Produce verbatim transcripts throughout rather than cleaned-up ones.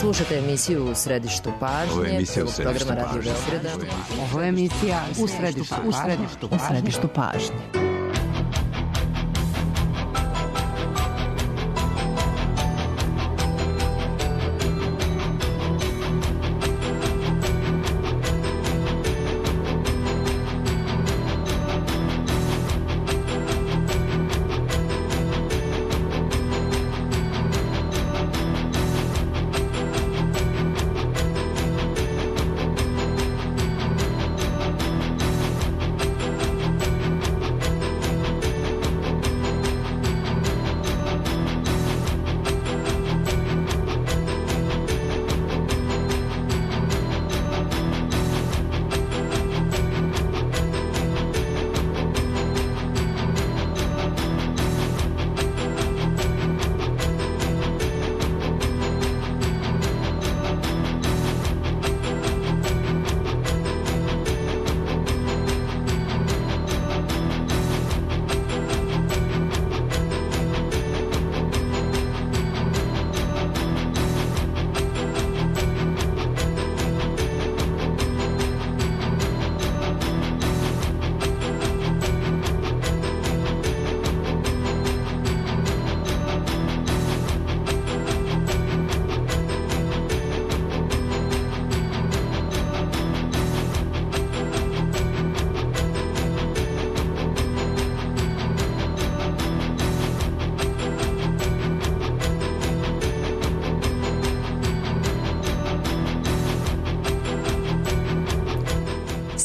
Slušate emisiju U središtu pažnje. Ovo je emisija U središtu programa Radio pažnje. Beograda. Ovo je emisija U središtu U središtu pažnje. U središtu pažnje.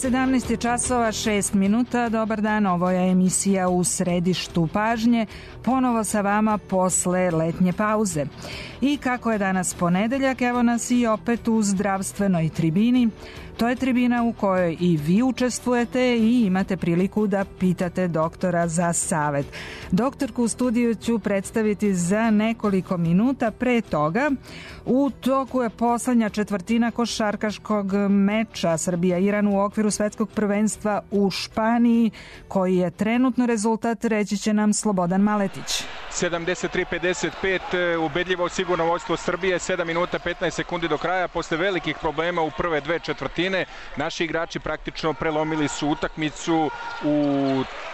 sedamnaest je časova šest minuta. Dobar dan, ovo je emisija U središtu pažnje. Ponovo sa vama posle letnje pauze. I kako je danas ponedeljak, evo nas i opet u zdravstvenoj tribini. To je tribina u kojoj i vi učestvujete i imate priliku da pitate doktora za savet. Doktorku u studiju ću predstaviti za nekoliko minuta. Pre toga, u toku je poslednja četvrtina košarkaškog meča Srbija-Iran u okviru svetskog prvenstva u Španiji, koji je trenutno rezultat, reći će nam Slobodan Maletić. sedamdeset tri pedeset pet, ubedljivo sigurno vodstvo Srbije, sedam minuta petnaest sekundi do kraja. Posle velikih problema u prve dve četvrtine, naši igrači praktično prelomili su utakmicu u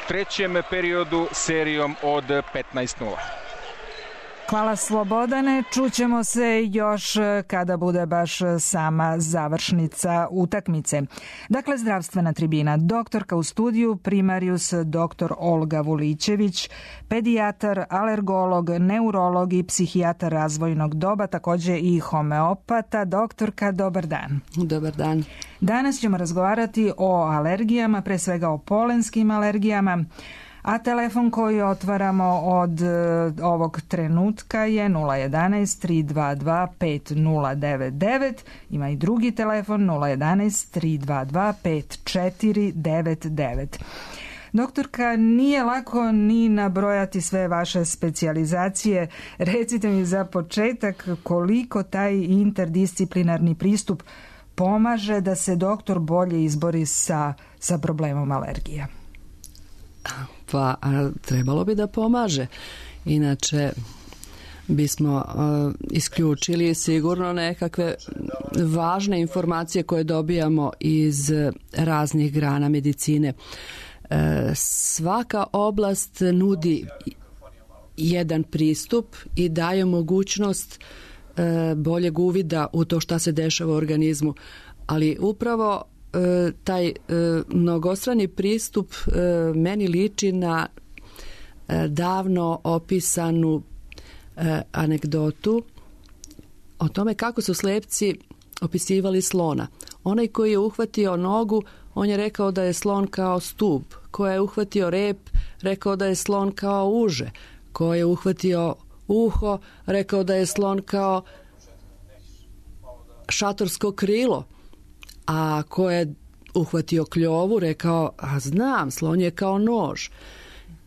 trećem periodu serijom od petnaest nula. Hvala Slobodane, čućemo se još kada bude baš sama završnica utakmice. Dakle, zdravstvena tribina, doktorka u studiju, primarijus doktor Olga Vulićević, pedijatar, alergolog, neurolog i psihijatar razvojnog doba, takođe i homeopata. Doktorka, dobar dan. Dobar dan. Danas ćemo razgovarati o alergijama, pre svega o polenskim alergijama. A telefon koji otvaramo od uh, ovog trenutka je nula jedanaest tri dva dva pet nula devet devet. Ima i drugi telefon nula jedanaest tri dva dva pet četiri devet devet. Doktorka, nije lako ni nabrojati sve vaše specijalizacije. Recite mi za početak koliko taj interdisciplinarni pristup pomaže da se doktor bolje izbori sa, sa problemom alergija. Pa trebalo bi da pomaže. Inače bismo uh, isključili sigurno nekakve važne informacije koje dobijamo iz raznih grana medicine. Uh, svaka oblast nudi jedan pristup i daje mogućnost uh, boljeg uvida u to šta se dešava u organizmu. Ali upravo E, taj e, mnogostrani pristup e, meni liči na e, davno opisanu e, anegdotu o tome kako su slepci opisivali slona. Onaj koji je uhvatio nogu, on je rekao da je slon kao stub. Ko je uhvatio rep, rekao da je slon kao uže. Ko je uhvatio uho, rekao da je slon kao šatorsko krilo. A ko je uhvatio kljovu, rekao, a znam, slon je kao nož.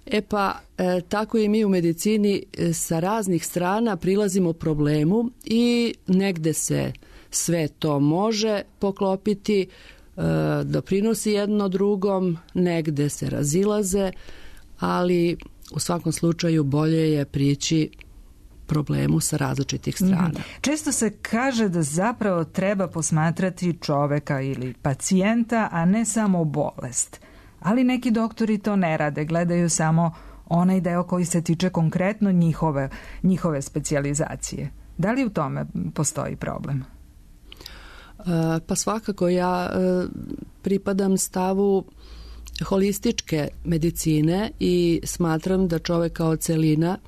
E pa, e, tako i mi u medicini e, sa raznih strana prilazimo problemu i negde se sve to može poklopiti, e, doprinosi jedno drugom, negde se razilaze, ali u svakom slučaju bolje je prići problemu sa različitih strana. Mm. Često se kaže da zapravo treba posmatrati čoveka ili pacijenta, a ne samo bolest. Ali neki doktori to ne rade, gledaju samo onaj deo koji se tiče konkretno njihove, njihove specijalizacije. Da li u tome postoji problem? Pa svakako ja pripadam stavu holističke medicine i smatram da čovek kao celina,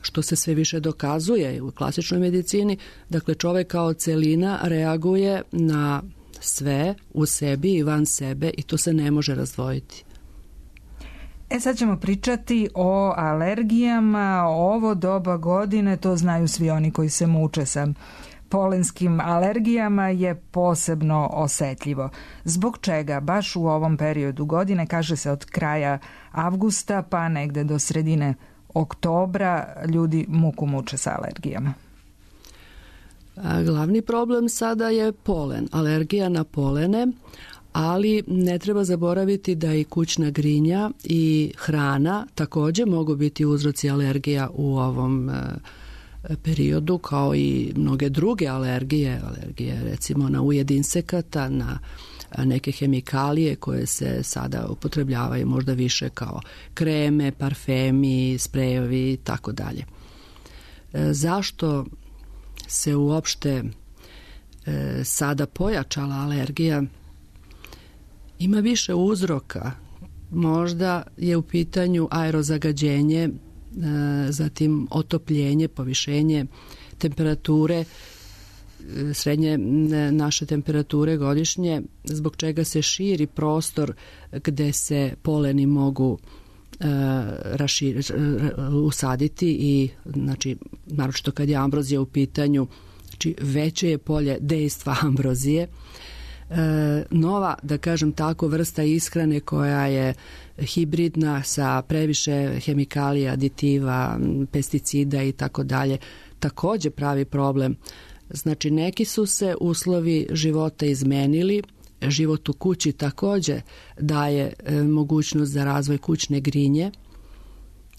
što se sve više dokazuje u klasičnoj medicini, dakle čovek kao celina reaguje na sve u sebi i van sebe i to se ne može razdvojiti. E sad ćemo pričati o alergijama. Ovo doba godine, to znaju svi oni koji se muče sa polenskim alergijama, je posebno osetljivo. Zbog čega baš u ovom periodu godine, kaže se od kraja avgusta pa negde do sredine oktobra, ljudi muku muče sa alergijama? A glavni problem sada je polen, alergija na polene, ali ne treba zaboraviti da i kućna grinja i hrana također mogu biti uzroci alergija u ovom periodu, kao i mnoge druge alergije, alergije recimo na ujed insekata, na neke hemikalije koje se sada upotrebljavaju možda više kao kreme, parfemi, sprejevi i tako dalje. Zašto se uopšte sada pojačala alergija? Ima više uzroka. Možda je u pitanju aerozagađenje, zatim otopljenje, povišenje temperature, srednje naše temperature godišnje, zbog čega se širi prostor gde se poleni mogu rašir, usaditi i znači, naročito kad je ambrozija u pitanju, znači veće je polje dejstva ambrozije. E, nova, da kažem tako, vrsta ishrane koja je hibridna sa previše hemikalija, aditiva, pesticida i tako dalje, također pravi problem. Znači neki su se uslovi života izmenili, život u kući također daje e, mogućnost za razvoj kućne grinje,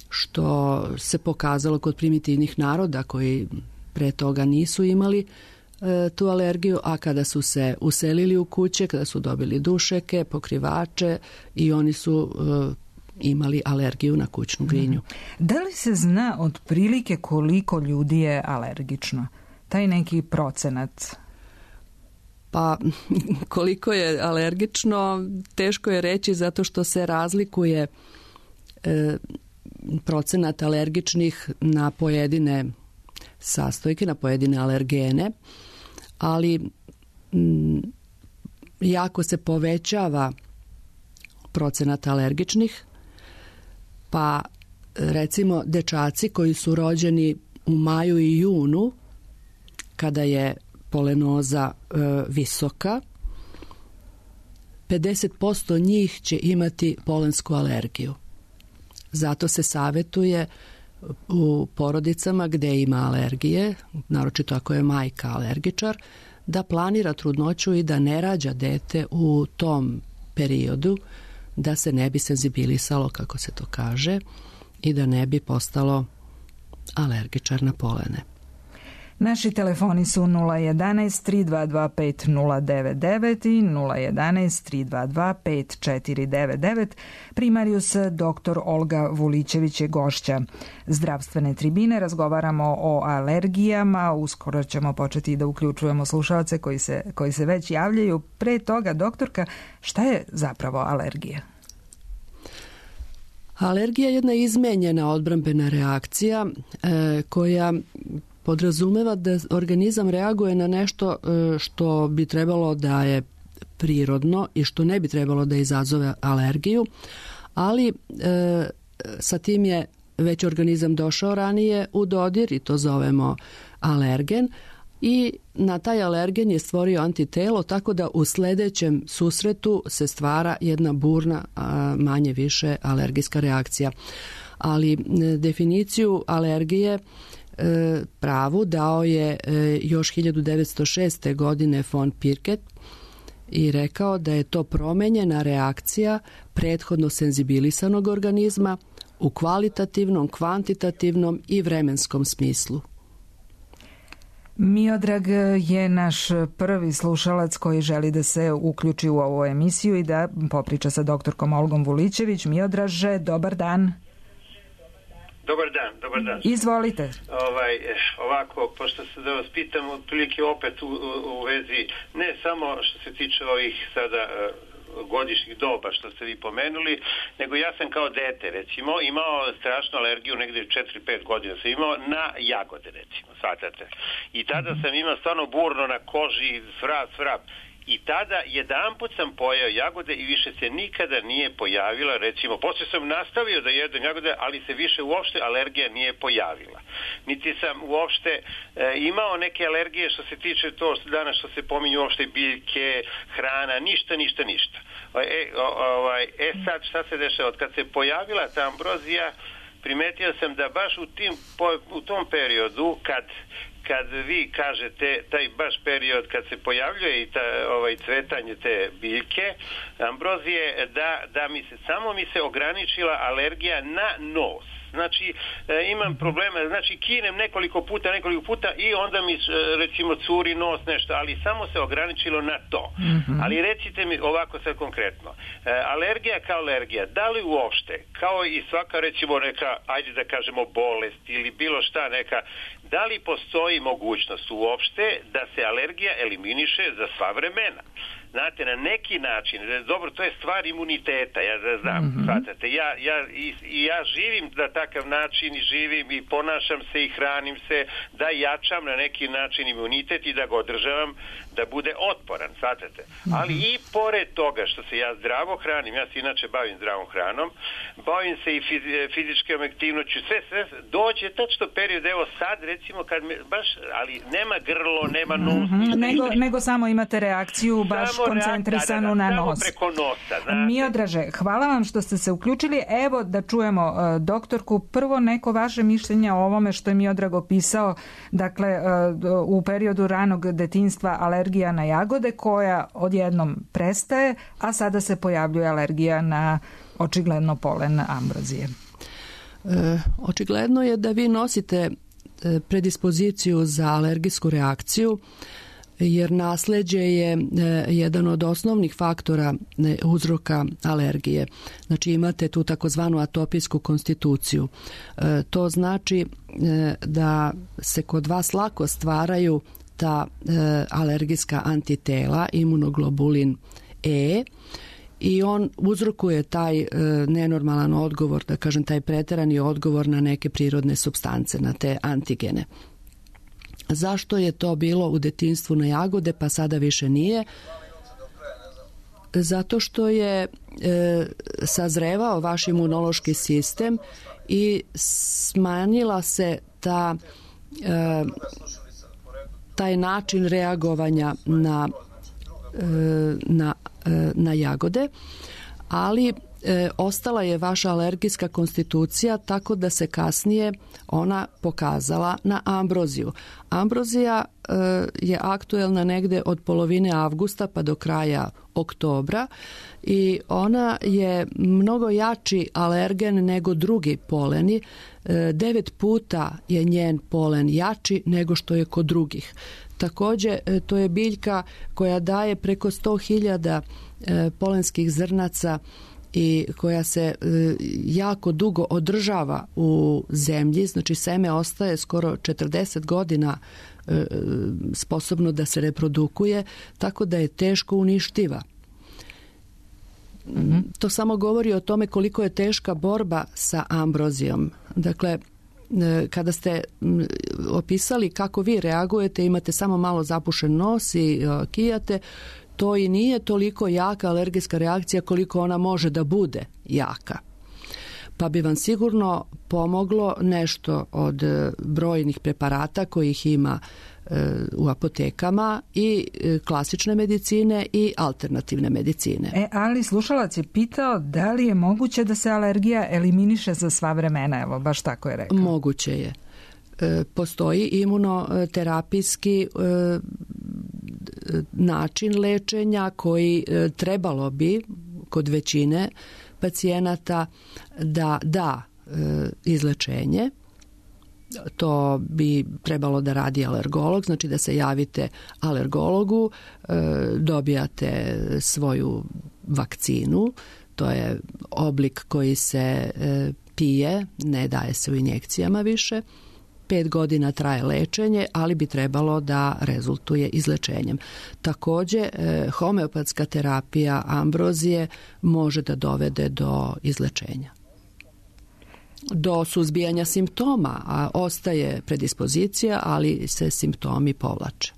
što se pokazalo kod primitivnih naroda koji pre toga nisu imali tu alergiju, a kada su se uselili u kuće, kada su dobili dušeke, pokrivače i oni su uh, imali alergiju na kućnu grinju. Da li se zna otprilike koliko ljudi je alergično? Taj neki procenat? Pa koliko je alergično, teško je reći zato što se razlikuje e, procenat alergičnih na pojedine sastojke, na pojedine alergene, ali m, jako se povećava procenat alergičnih, pa recimo dečaci koji su rođeni u maju i junu, kada je polenoza e, visoka, pedeset posto njih će imati polensku alergiju. Zato se savjetuje u porodicama gdje ima alergije, naročito ako je majka alergičar, da planira trudnoću i da ne rađa dete u tom periodu, da se ne bi senzibilisalo, kako se to kaže, i da ne bi postalo alergičar na polene. Naši telefoni su nula jedanaest tri dva dva pet nula devet devet i nula jedanaest tri dva dva pet četiri devet devet. Primarius doktor Olga Vulićević je gošća zdravstvene tribine. Razgovaramo o alergijama. Uskoro ćemo početi da uključujemo slušaoce koji se, koji se već javljaju. Pre toga, doktorka, šta je zapravo alergija? Alergija je jedna izmenjena odbrambena reakcija e, koja podrazumeva da organizam reaguje na nešto što bi trebalo da je prirodno i što ne bi trebalo da izazove alergiju, ali e, sa tim je već organizam došao ranije u dodir i to zovemo alergen i na taj alergen je stvorio antitelo, tako da u sljedećem susretu se stvara jedna burna, a manje više alergijska reakcija. Ali definiciju alergije pravu dao je još hiljadu devetsto šeste. godine von Pirket i rekao da je to promenjena reakcija prethodno senzibilisanog organizma u kvalitativnom, kvantitativnom i vremenskom smislu. Miodrag je naš prvi slušalac koji želi da se uključi u ovu emisiju i da popriča sa doktorkom Olgom Vulićević. Miodraže, dobar dan. Dobar dan, dobar dan. Izvolite. Ovaj, ovako, pošto se da vas pitam, otprilike opet u, u, u vezi, ne samo što se tiče ovih sada godišnjih doba što ste vi pomenuli, nego ja sam kao dete, recimo, imao strašnu alergiju, negdje četiri pet godina sam imao na jagode, recimo, shvatate. I tada sam imao stvarno burno na koži, svrab, svrab. I tada jedanput sam pojeo jagode i više se nikada nije pojavila, recimo, poslije sam nastavio da jedem jagode, ali se više uopšte alergija nije pojavila. Niti sam uopšte e, imao neke alergije što se tiče to danas što se pominju uopšte biljke, hrana, ništa, ništa, ništa. E, ovaj, e sad šta se dešava? Od kad se pojavila ta ambrozija, primetio sam da baš u, tim, u tom periodu kad kad vi kažete taj baš period kad se pojavljuje i ta, ovaj, cvetanje te biljke, ambrozije, da, da mi se, samo mi se ograničila alergija na nos. Znači, e, imam problema, znači kinem nekoliko puta, nekoliko puta i onda mi, recimo, curi nos nešto, ali samo se ograničilo na to. Mm-hmm. Ali recite mi ovako sad konkretno, e, alergija kao alergija, da li uopšte, kao i svaka, recimo, neka, ajde da kažemo, bolest ili bilo šta neka, da li postoji mogućnost uopšte da se alergija eliminiše za sva vremena? Znate, na neki način, dobro, to je stvar imuniteta, ja da znam, mm-hmm. shvatate, ja, ja, i, i ja živim na takav način i živim i ponašam se i hranim se da jačam na neki način imunitet i da ga održavam da bude otporan, shvatate. Mm-hmm. Ali i pored toga što se ja zdravo hranim, ja se inače bavim zdravom hranom, bavim se i fizi, fizičkom aktivnoću, sve, sve, dođe tačno period, evo sad, recimo, kad me, baš, ali nema grlo, nema nos. Mm-hmm. Nego, nego samo imate reakciju baš koncentrisanu na nos. Miodraže, hvala vam što ste se uključili. Evo da čujemo uh, doktorku. Prvo neko vaše mišljenje o ovome što je Miodrag opisao, dakle uh, u periodu ranog detinjstva alergija na jagode koja odjednom prestaje, a sada se pojavljuje alergija na očigledno polen ambrozije. E, očigledno je da vi nosite predispoziciju za alergijsku reakciju, jer nasleđe je e, jedan od osnovnih faktora e, uzroka alergije. Znači imate tu takozvanu atopijsku konstituciju. E, to znači e, da se kod vas lako stvaraju ta e, alergijska antitela, imunoglobulin E, i on uzrokuje taj e, nenormalan odgovor, da kažem taj preterani odgovor na neke prirodne supstance, na te antigene. Zašto je to bilo u detinjstvu na jagode, pa sada više nije? Zato što je e, sazrevao vaš imunološki sistem i smanjila se ta, e, taj način reagovanja na, e, na, e, na jagode, ali E, ostala je vaša alergijska konstitucija tako da se kasnije ona pokazala na ambroziju. Ambrozija e, je aktuelna negde od polovine avgusta pa do kraja oktobra i ona je mnogo jači alergen nego drugi poleni. E, devet puta je njen polen jači nego što je kod drugih. Također, e, to je biljka koja daje preko sto hiljada e, polenskih zrnaca i koja se e, jako dugo održava u zemlji, znači seme ostaje skoro četrdeset godina e, sposobno da se reprodukuje, tako da je teško uništiva. Mm-hmm. To samo govori o tome koliko je teška borba sa ambrozijom. Dakle, e, kada ste m, opisali kako vi reagujete, imate samo malo zapušen nos i e, kijate, to i nije toliko jaka alergijska reakcija koliko ona može da bude jaka. Pa bi vam sigurno pomoglo nešto od brojnih preparata kojih ima e, u apotekama i e, klasične medicine i alternativne medicine. E, ali slušalac je pitao da li je moguće da se alergija eliminiše za sva vremena, evo, baš tako je rekao. Moguće je. E, postoji imunoterapijski e, način lečenja koji e, trebalo bi kod većine pacijenata da da e, izlečenje, to bi trebalo da radi alergolog, znači da se javite alergologu, dobijate svoju vakcinu, to je oblik koji se pije, ne daje se u injekcijama više. Pet godina traje lečenje, ali bi trebalo da rezultuje izlečenjem. Također, homeopatska terapija ambrozije može da dovede do izlečenja. Do suzbijanja simptoma, a ostaje predispozicija, ali se simptomi povlače.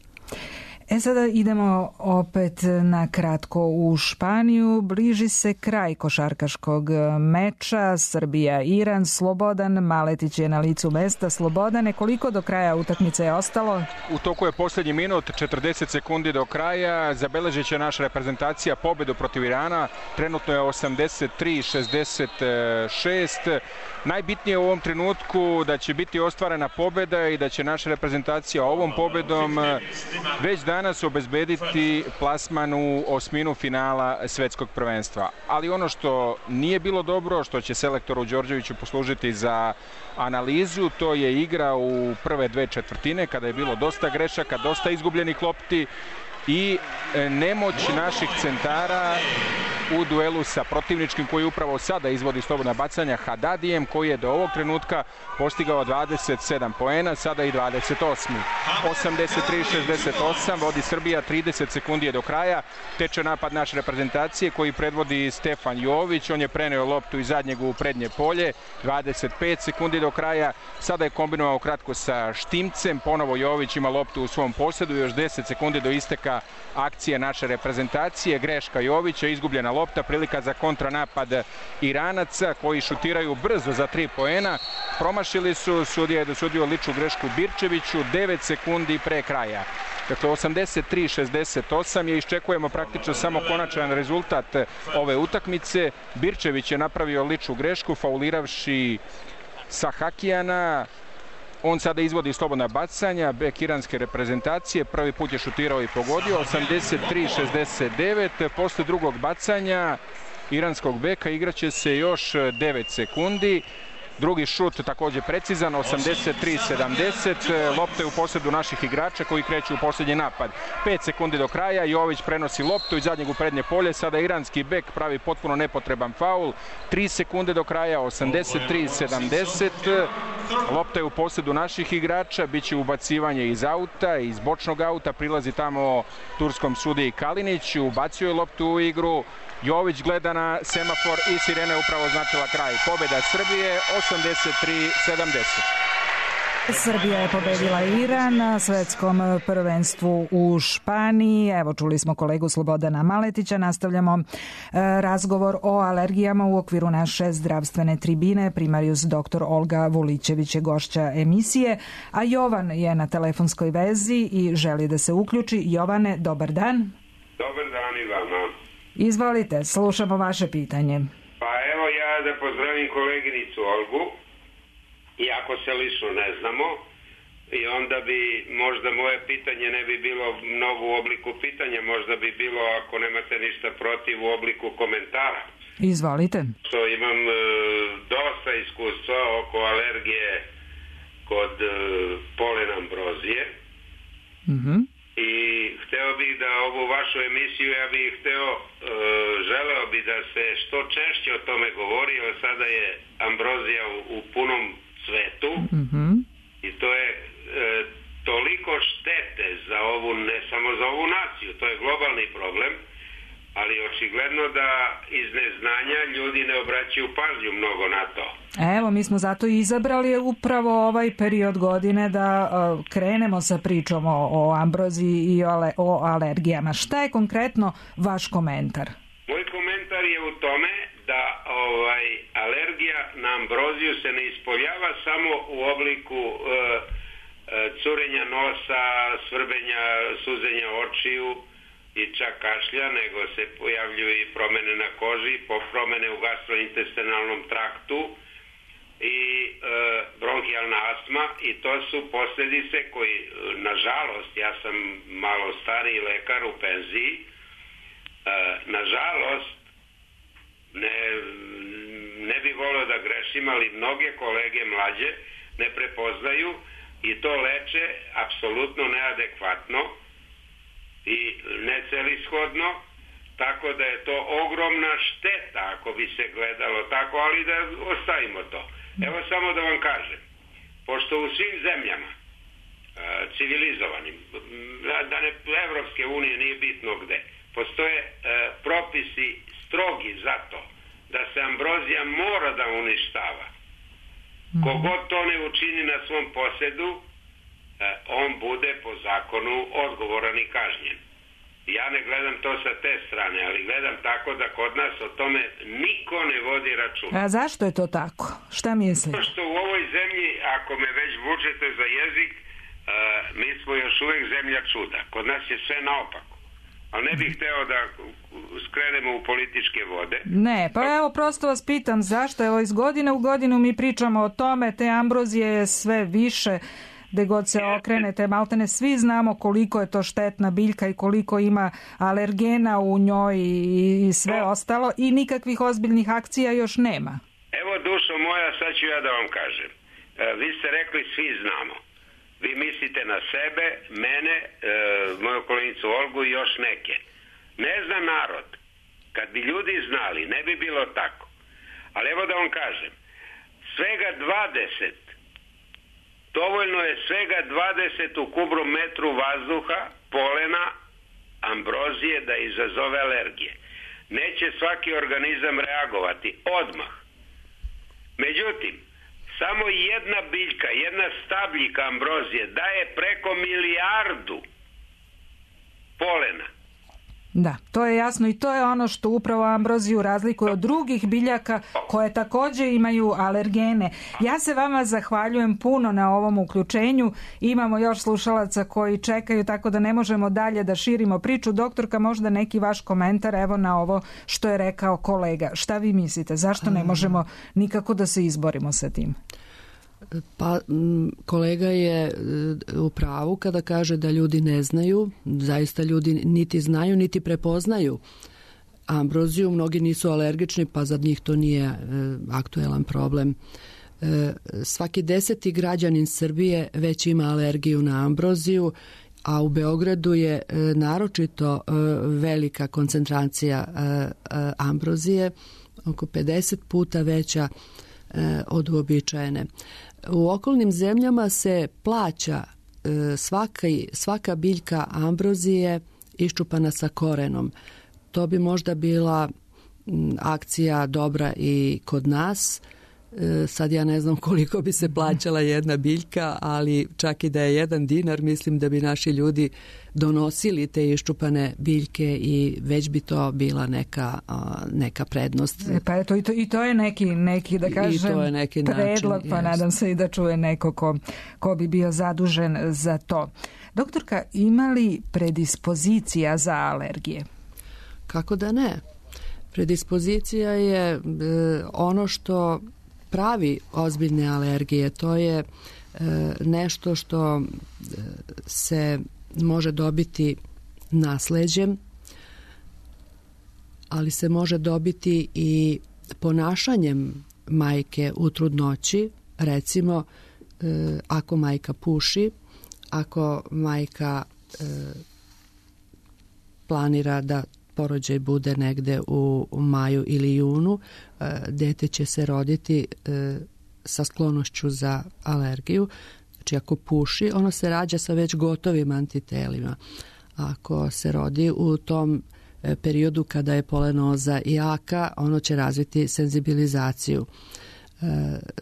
E sada idemo opet na kratko u Španiju. Bliži se kraj košarkaškog meča. Srbija-Iran. Slobodan Maletić je na licu mesta. Slobodane, koliko do kraja utakmice je ostalo? U toku je posljednji minut, četrdeset sekundi do kraja. Zabeležit će naša reprezentacija pobedu protiv Irana. Trenutno je osamdeset tri šezdeset šest. Najbitnije u ovom trenutku da će biti ostvarena pobeda i da će naša reprezentacija ovom pobedom već danas obezbediti plasman u osminu finala svetskog prvenstva. Ali ono što nije bilo dobro, što će selektoru Đorđeviću poslužiti za analizu, to je igra u prve dve četvrtine, kada je bilo dosta grešaka, dosta izgubljenih lopti i nemoć naših centara u duelu sa protivničkim koji upravo sada izvodi slobodna bacanja Hadadijem, koji je do ovog trenutka postigao dvadeset sedam poena, sada i dvadeset osam. osamdeset tri šezdeset osam, vodi Srbija, trideset sekundi je do kraja. Teče napad naše reprezentacije koji predvodi Stefan Jović, on je preneo loptu iz zadnjeg u prednje polje, dvadeset pet sekundi do kraja. Sada je kombinovao kratko sa Štimcem, ponovo Jović ima loptu u svom posjedu, još deset sekundi do isteka akcije naše reprezentacije. Greška Jovića, izgubljena lopta, prilika za kontranapad Iranaca koji šutiraju brzo za tri poena. Promašili su, sudija je dosudio ličnu grešku Birčeviću devet sekundi pre kraja. Dakle, osamdeset tri šezdeset osam je, iščekujemo praktično samo konačan rezultat ove utakmice. Birčević je napravio ličnu grešku, fauliravši Sahakijana. On sada izvodi slobodna bacanja, bek iranske reprezentacije, prvi put je šutirao i pogodio, osamdeset tri šezdeset devet, posle drugog bacanja iranskog beka igraće se još devet sekundi. Drugi šut također precizan, osamdeset tri sedamdeset, lopta je u posjedu naših igrača koji kreću u posljednji napad. pet sekundi do kraja, Jović prenosi loptu iz zadnjeg u prednje polje, sada iranski bek pravi potpuno nepotreban faul. tri sekunde do kraja, osamdeset tri sedamdeset, lopta je u posjedu naših igrača, bit će ubacivanje iz auta, iz bočnog auta, prilazi tamo turskom sudiji Kalinić, ubacio je loptu u igru. Jović gleda na semafor i sirena je upravo značila kraj. Pobjeda Srbije, osamdeset tri sedamdeset. Srbija je pobedila Iran na svetskom prvenstvu u Španiji. Evo, čuli smo kolegu Slobodana Maletića. Nastavljamo e, razgovor o alergijama u okviru naše zdravstvene tribine. Primarijus doktor Olga Vulićević je gošća emisije, a Jovan je na telefonskoj vezi i želi da se uključi. Jovane, dobar dan. Dobar dan i vama. Izvolite, slušamo vaše pitanje. Pa evo ja da pozdravim koleginicu Olgu, iako se lično ne znamo, i onda bi možda moje pitanje ne bi bilo mnogo u obliku pitanja, možda bi bilo, ako nemate ništa protiv, u obliku komentara. Izvolite. Što imam e, dosta iskustva oko alergije kod e, polen ambrozije. Mhm. I hteo bih da ovu vašu emisiju, ja bih hteo, e, želeo bih da se što češće o tome govori, jer sada je ambrozija u, u punom svetu. Mm-hmm. I to je e, toliko štete za ovu, ne samo za ovu naciju, to je globalni problem, ali očigledno da iz neznanja ljudi ne obraćaju pažnju mnogo na to. Evo, mi smo zato i izabrali upravo ovaj period godine da uh, krenemo sa pričom o, o ambroziji i o, ale, o alergijama. Šta je konkretno vaš komentar? Moj komentar je u tome da ovaj alergija na ambroziju se ne ispoljava samo u obliku uh, uh, curenja nosa, svrbenja, suzenja očiju i čak kašlja, nego se pojavljuju i promene na koži, promene u gastrointestinalnom traktu i e, bronhijalna astma, i to su posljedice koji, nažalost, ja sam malo stariji lekar u penziji, e, nažalost, ne, ne bi volio da grešim, ali mnoge kolege mlađe ne prepoznaju i to leče apsolutno neadekvatno i necelishodno, tako da je to ogromna šteta ako bi se gledalo tako, ali da ostavimo to. Evo samo da vam kažem, pošto u svim zemljama civilizovanim, da ne Evropske unije, nije bitno gde, postoje e, propisi strogi za to da se ambrozija mora da uništava. Kogod to ne učini na svom posedu, e, on bude po zakonu odgovoran i kažnjen. Ja ne gledam to sa te strane, ali gledam tako da kod nas o tome niko ne vodi računa. A zašto je to tako? Šta mislite? Što u ovoj zemlji, ako me već vučete za jezik, Uh, mi smo još uvijek zemlja čuda. Kod nas je sve naopako. Ali ne bih hteo da skrenemo u političke vode. Ne, pa evo prosto vas pitam zašto. Evo iz godine u godinu mi pričamo o tome, te ambrozije je sve više, gde god se okrenete, maltene svi znamo koliko je to štetna biljka i koliko ima alergena u njoj i sve no. ostalo i nikakvih ozbiljnih akcija još nema. Evo dušo moja, sad ću ja da vam kažem. Uh, vi ste rekli svi znamo. Vi mislite na sebe, mene, e, moju kolenicu Olgu i još neke. Ne zna narod. Kad bi ljudi znali, ne bi bilo tako. Ali evo da vam kažem, svega dvadeset, dovoljno je svega dvadeset u kubnom metru vazduha, polena, ambrozije da izazove alergije. Neće svaki organizam reagovati odmah. Međutim, samo jedna biljka, jedna stabljika ambrozije daje preko milijardu polena. Da, to je jasno i to je ono što upravo ambroziju razlikuje od drugih biljaka koje također imaju alergene. Ja se vama zahvaljujem puno na ovom uključenju. Imamo još slušalaca koji čekaju, tako da ne možemo dalje da širimo priču. Doktorka, možda neki vaš komentar evo na ovo što je rekao kolega. Šta vi mislite? Zašto ne možemo nikako da se izborimo sa tim? Pa kolega je u pravu kada kaže da ljudi ne znaju, zaista ljudi niti znaju niti prepoznaju ambroziju, mnogi nisu alergični pa za njih to nije e, aktuelan problem. E, svaki deseti građanin Srbije već ima alergiju na ambroziju, a u Beogradu je e, naročito e, velika koncentracija e, e, ambrozije, oko pedeset puta veća e, od uobičajene. U okolnim zemljama se plaća e, svaka, svaka biljka ambrozije iščupana sa korenom. To bi možda bila m, akcija dobra i kod nas. E, sad ja ne znam koliko bi se plaćala jedna biljka, ali čak i da je jedan dinar, mislim da bi naši ljudi donosili te iščupane biljke i već bi to bila neka, a, neka prednost. E, pa eto, i, to, i to je neki, neki da kažem, to je neki predlog, način, pa jest. Nadam se i da čuje neko ko, ko bi bio zadužen za to. Doktorka, ima li predispozicija za alergije? Kako da ne? Predispozicija je e, ono što pravi ozbiljne alergije. To je e, nešto što e, se može dobiti nasleđem, ali se može dobiti i ponašanjem majke u trudnoći. Recimo, e, ako majka puši, ako majka e, planira da porođaj bude negde u, u maju ili junu, e, dete će se roditi e, sa sklonošću za alergiju. Znači ako puši, ono se rađa sa već gotovim antitelima. Ako se rodi u tom e, periodu kada je polenoza jaka, ono će razviti senzibilizaciju. E,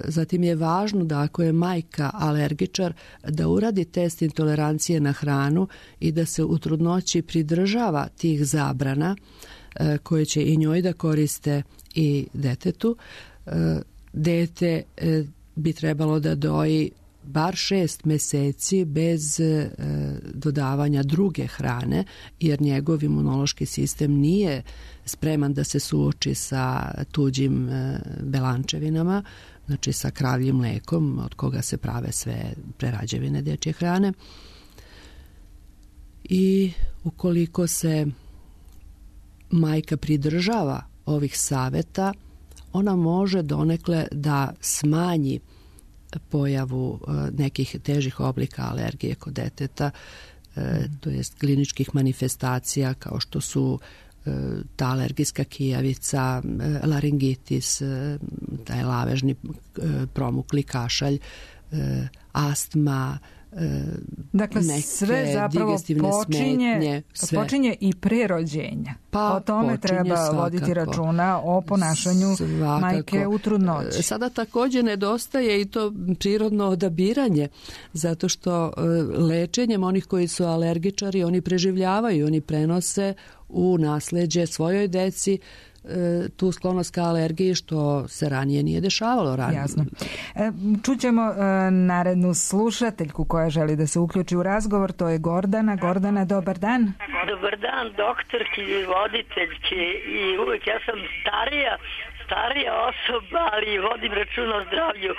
zatim je važno da ako je majka alergičar, da uradi test intolerancije na hranu i da se u trudnoći pridržava tih zabrana e, koje će i njoj da koriste i detetu. E, dete e, bi trebalo da doji bar šest meseci bez e, dodavanja druge hrane, jer njegov imunološki sistem nije spreman da se suoči sa tuđim e, belančevinama, znači sa kravljim mlekom od koga se prave sve prerađevine dečje hrane. I ukoliko se majka pridržava ovih saveta, ona može donekle da smanji pojavu nekih težih oblika alergije kod deteta, to jest kliničkih manifestacija kao što su ta alergijska kijavica, laringitis, taj lavežni promukli kašalj, astma, dakle, sve zapravo počinje, smetnje, sve. počinje i pre rođenja. Pa, o tome treba svakako voditi računa o ponašanju svakako. majke u trudnoći. Sada također nedostaje i to prirodno odabiranje, zato što lečenjem onih koji su alergičari, oni preživljavaju, oni prenose u nasleđe svojoj deci tu sklonost ka alergiji, što se ranije nije dešavalo ranije. Jasno. E, čućemo e, narednu slušateljku koja želi da se uključi u razgovor, to je Gordana. Gordana, dobar dan. Dobar dan, doktorki i voditeljki, i uvijek ja sam starija starija osoba, ali vodim računa o zdravlju.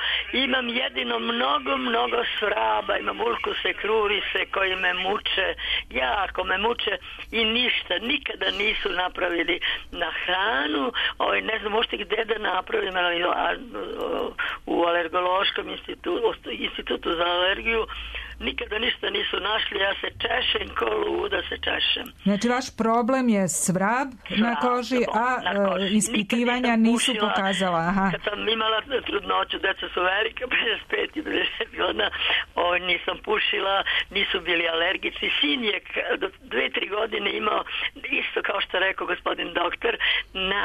Imam jedino mnogo, mnogo svraba, imam ulkuse, krurise koji me muče, jako me muče i ništa, nikada nisu napravili na hranu, ovaj, ne znam možete gde da napravim, ali u alergološkom institutu, institutu za alergiju, nikada ništa nisu našli, ja se češem ko luda se češem. Znači vaš problem je svrab na koži, a koži. ispitivanja nisu pokazala. Aha. Kad sam imala trudnoću, deca su velika, pedeset pet i pedeset godina, ovaj, nisam pušila, nisu bili alergici. Sin je do dve, tri godine imao, isto kao što rekao gospodin doktor, na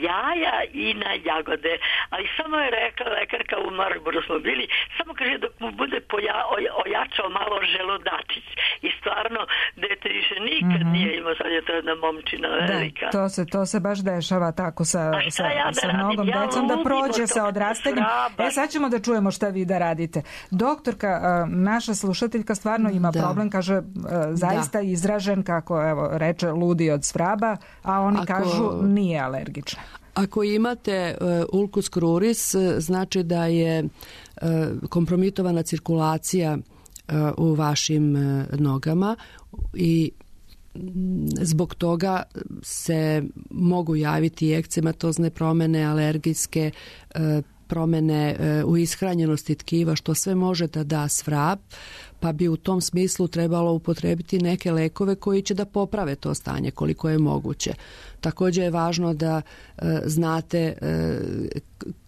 jaja i na jagode. Ali samo je rekla lekarka, u Marlboru smo bili, samo kaže dok mu bude poja, ojačao malo želudačić. I stvarno, dete više nikad mm-hmm. nije imao, sad je to jedna momčina velika. Da, to se, to se baš dešava tako sa, sa, ja sa mnogom ja decom, da prođe sa odrastanjem. E, sad ćemo da čujemo šta vi da radite. Doktorka, naša slušateljka stvarno ima da. problem, kaže, zaista da. izražen, kako evo, reče, ludi od svraba, a oni Ako... kažu nije alergična. Ako imate uh, ulkus cruris, znači da je uh, kompromitovana cirkulacija u vašim nogama i zbog toga se mogu javiti ekcematozne promjene, alergijske promjene u ishranjenosti tkiva, što sve može da da svrab, pa bi u tom smislu trebalo upotrebiti neke lekove koji će da poprave to stanje koliko je moguće. Također je važno da znate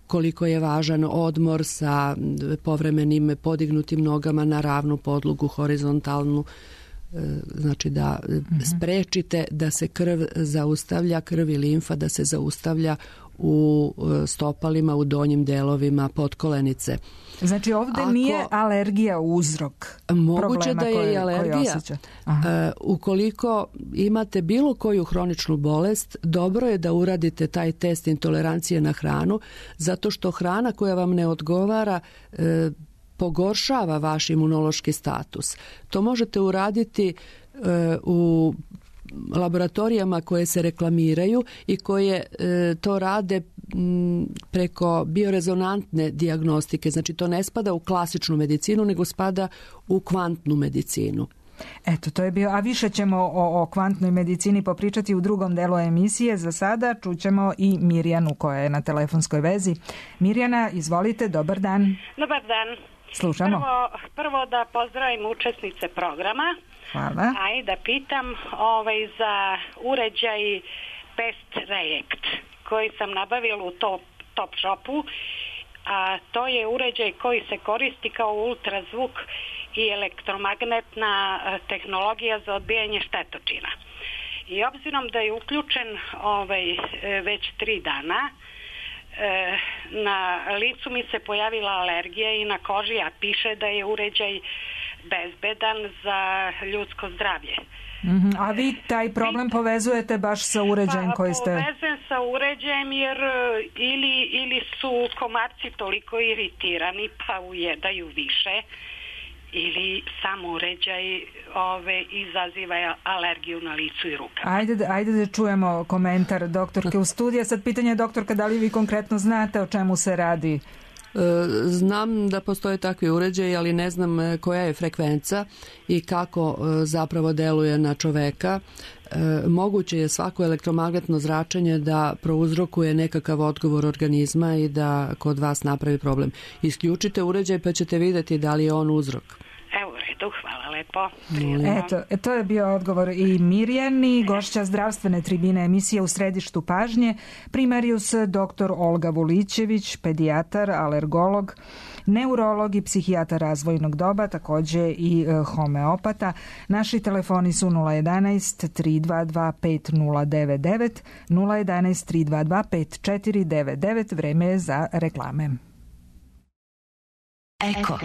koliko je važan odmor sa povremenim podignutim nogama na ravnu podlogu, horizontalnu, znači da sprečite da se krv zaustavlja, krv i limfa da se zaustavlja u stopalima, u donjim delovima potkolenice. Znači ovdje Ako, nije alergija uzrok moguće da je koje, i alergija. Uh, ukoliko imate bilo koju hroničnu bolest, dobro je da uradite taj test intolerancije na hranu, zato što hrana koja vam ne odgovara uh, pogoršava vaš imunološki status. To možete uraditi uh, u laboratorijama koje se reklamiraju i koje e, to rade m, preko biorezonantne dijagnostike. Znači to ne spada u klasičnu medicinu, nego spada u kvantnu medicinu. Eto, to je bio, a više ćemo o, o kvantnoj medicini popričati u drugom delu emisije. Za sada čućemo i Mirjanu koja je na telefonskoj vezi. Mirjana, izvolite, dobar dan. Dobar dan. Slušamo. Prvo, prvo da pozdravim učesnice programa. Hvala. A i da pitam ovaj, za uređaj Pest React koji sam nabavila u top, top shopu, a to je uređaj koji se koristi kao ultrazvuk i elektromagnetna tehnologija za odbijanje štetočina. I obzirom da je uključen ovaj, već tri dana, na licu mi se pojavila alergija i na koži, a piše da je uređaj bezbedan za ljudsko zdravlje. Mm-hmm. A vi taj problem povezujete baš sa uređajem pa, koji ste... Povezujem sa uređajem jer ili, ili su komarci toliko iritirani pa ujedaju više, ili sam uređaj ove, izaziva alergiju na licu i rukama. Ajde, ajde da čujemo komentar doktorke u studiju. Sad pitanje je, doktorka, da li vi konkretno znate o čemu se radi? Znam da postoje takvi uređaji, ali ne znam koja je frekvenca i kako zapravo deluje na čoveka. Moguće je svako elektromagnetno zračenje da prouzrokuje nekakav odgovor organizma i da kod vas napravi problem. Isključite uređaj pa ćete vidjeti da li je on uzrok. Evo, u redu, hvala lepo. Eto, to je bio odgovor i Mirjani, gošća zdravstvene tribine emisije U središtu pažnje, primarijus doktor Olga Vulićević, pedijatar, alergolog, neurolog i psihijatar razvojnog doba, također i homeopata. Naši telefoni su nula jedanaest tri dva dva pet nula devet devet, nula jedanaest tri dva dva pet četiri devet devet. Vreme je za reklame. Eko.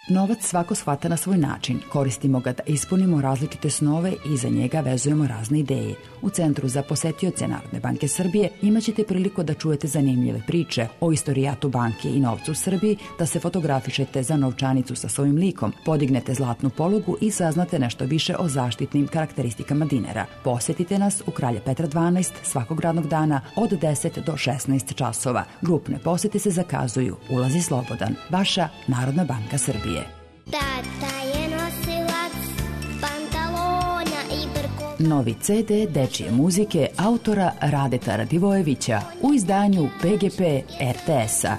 Novac svako shvata na svoj način. Koristimo ga da ispunimo različite snove i za njega vezujemo razne ideje. U Centru za posetioce Narodne banke Srbije imaćete priliku da čujete zanimljive priče o istorijatu banke i novcu u Srbiji, da se fotografišete za novčanicu sa svojim likom, podignete zlatnu polugu i saznate nešto više o zaštitnim karakteristikama dinara. Posetite nas u Kralja Petra dvanaest svakog radnog dana od deset do šesnaest časova. Grupne posete se zakazuju. Ulaz je slobodan. Vaša Narodna banka Srbije. Tata je nosilac pantalona i brkova. Novi ce de dečije muzike autora Radeta Radivojevića u izdanju pe ge pe er te es-a.